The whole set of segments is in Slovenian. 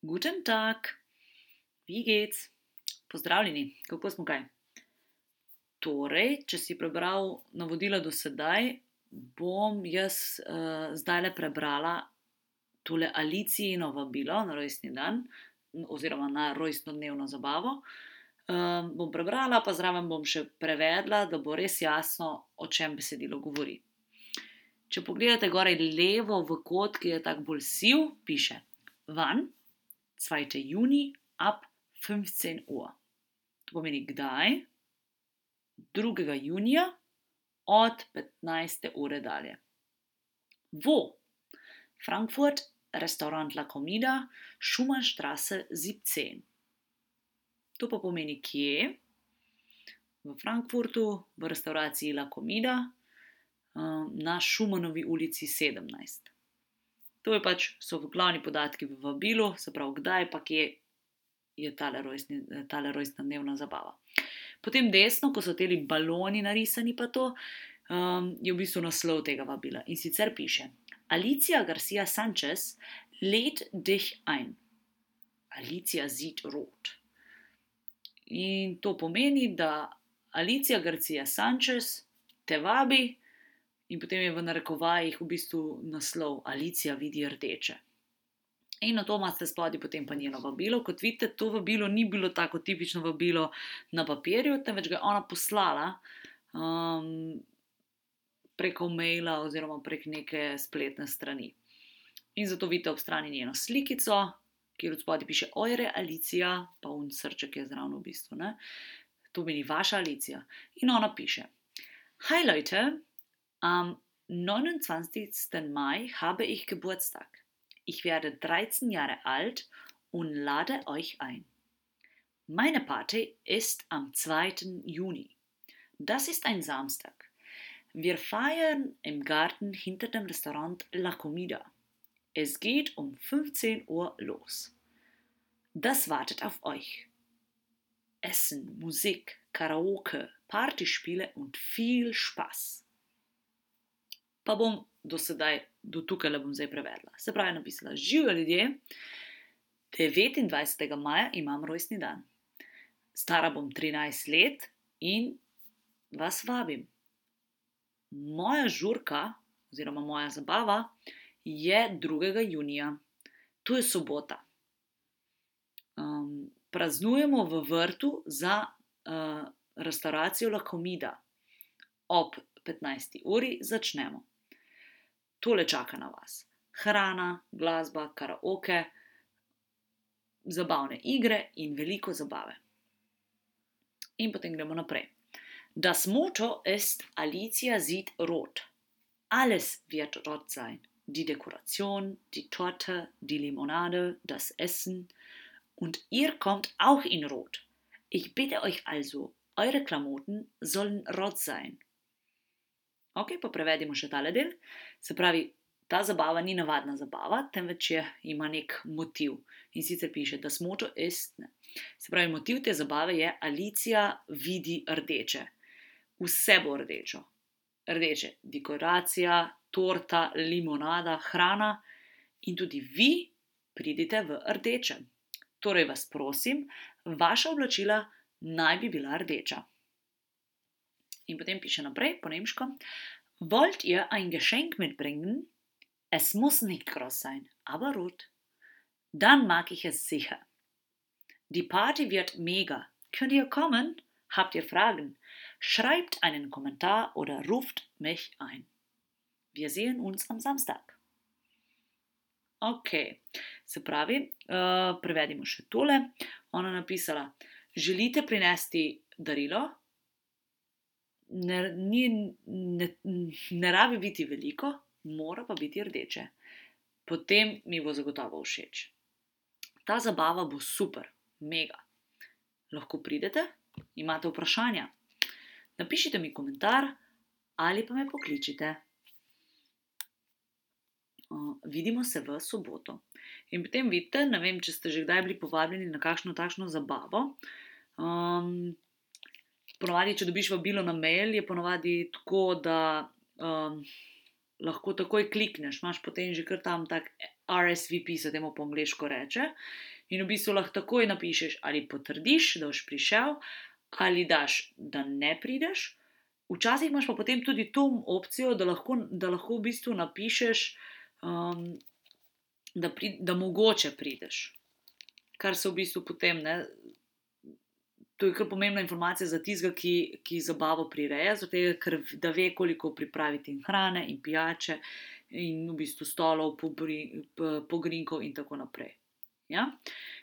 Guten Tag, wie geht's? Pozdravljeni, kako smo kaj? Torej, če si prebral navodila do sedaj, bom jaz zdajle prebrala tole Alicijino vabilo na rojstni dan, oziroma na rojstnodnevno zabavo. Bom prebrala, pa zraven bom še prevedla, da bo res jasno, o čem besedilo govori. Če pogledate gore levo v kot, ki je tak bolj siv, piše Wann? 2. Juni ab 15 Uhr. To pomeni kdaj? 2. junija od 15. ure dalje. Wo? Frankfurt, Restaurant La Comida, Schumannstraße 17. To pa pomeni kje? V Frankfurtu, v restavraciji La Comida, na Schumannovi ulici 17. To je so glavni podatki v vabilu, se pravi kdaj pa kje je tale rojstna dnevna zabava. Potem desno, ko so teli baloni narisani pa to, je v bistvu naslov tega vabila. In sicer piše Alicia Garcia Sanchez lädt dich ein. Alicia sieht rot. In to pomeni, da Alicia Garcia Sanchez te vabi in potem je v narekovajih v bistvu naslov Alicia vidi rdeče. In na to imate spodaj potem pa njeno vabilo. Kot vidite, to vabilo ni bilo tako tipično vabilo na papirju, temveč ga je ona poslala preko maila oziroma prek neke spletne strani. In zato vidite ob strani njeno slikico, kjer od spodaj piše Eure Alicia, pa srček je zraven v bistvu. Ne? To meni vaša Alicia. In ona piše Hi Leute, am 29. Mai habe ich Geburtstag. Ich werde 13 Jahre alt und lade euch ein. Meine Party ist am 2. Juni. Das ist ein Samstag. Wir feiern im Garten hinter dem Restaurant La Comida. Es geht um 15 Uhr los. Das wartet auf euch. Essen, Musik, Karaoke, Partyspiele und viel Spaß. Pa bom do tukaj bom zdaj prevedla. Se pravi napisala, živjo ljudje, 29. maja imam rojstni dan. Stara bom 13 let in vas vabim. Moja žurka, oziroma moja zabava, je 2. junija. To je sobota. Praznujemo v vrtu za restauracijo La Comida. Ob 15. uri začnemo. Tole čaka na vas. Hrana, glasba, karaoke, zabavne igre in veliko zabave. In potem gremo naprej. Das Motto ist Alicia sieht rot. Alles wird rot sein. Die Dekoration, die Torte, die Limonade, das Essen. Und ihr kommt auch in rot. Ich bitte euch also, eure Klamotten sollen rot sein. Ok, pa prevedimo še tale del. Se pravi, ta zabava ni navadna zabava, temveč ima nek motiv. In sicer piše, das Motto ist. Se pravi, motiv te zabave je Alicia vidi rdeče. Vse bo rdečo. Rdeče dekoracija, torta, limonada, hrana in tudi vi pridite v rdečem. Torej vas prosim, vaša oblačila naj bi bila rdeča. In potem piše naprej, po nemško. Wollt ihr ein Geschenk mitbringen? Es muss nicht groß sein, aber rot. Dann mag ich es sicher. Die Party wird mega. Könnt ihr kommen? Habt ihr Fragen? Schreibt einen Kommentar oder ruft mich ein. Wir sehen uns am Samstag. Ok, se pravi, prevedimo še tole. Ona napisala, želite prinesti darilo? Ne rabi biti veliko, mora pa biti rdeče. Potem mi bo zagotovo všeč. Ta zabava bo super, mega. Lahko pridete? Imate vprašanja? Napišite mi komentar ali pa me pokličite. Vidimo se v soboto. In potem vidite, ne vem, če ste že kdaj bili povabljeni na kakšno takšno zabavo. Ponovadi, če dobiš vabilo na mail, je ponovadi tako, da lahko takoj klikneš. Imaš potem že kar tam tak RSVP se temu po angliško reče. In v bistvu lahko takoj napišeš, ali potrdiš, da boš prišel, ali daš, da ne prideš. Včasih imaš pa potem tudi to opcijo, da lahko v bistvu napišeš, da mogoče prideš. Kar se v bistvu potem, ne, to je kar pomembna informacija za tistega, ki zabavo prireja, zato ker da ve, koliko pripraviti in hrane in pijače in v bistvu stolov, pogrinkov in tako naprej. Ja?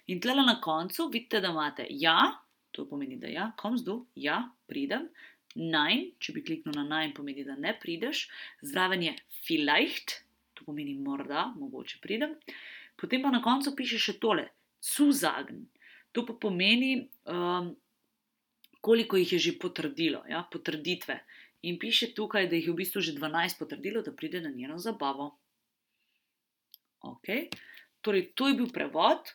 In tlele na koncu vidite, da imate ja, to pomeni, da ja, kommst du, ja, pridem. Nein, če bi kliknil na nein, pomeni, da ne prideš. Zraven je vielleicht, to pomeni morda, mogoče pridem. Potem pa na koncu piše še tole, zusagen. To pa pomeni, koliko jih je že potrdilo, ja, potrditve. In piše tukaj, da jih je v bistvu že 12 potrdilo, da pride na njeno zabavo. Ok, torej to je bil prevod.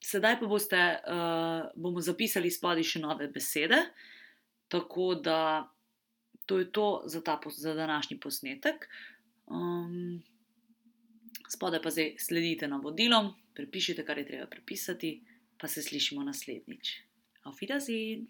Sedaj pa bomo zapisali spodaj še nove besede. Tako da to je to za današnji posnetek. Spodaj pa zdaj sledite navodilom, prepišite, kar je treba prepisati, pa se slišimo naslednjič. Auf Wiedersehen!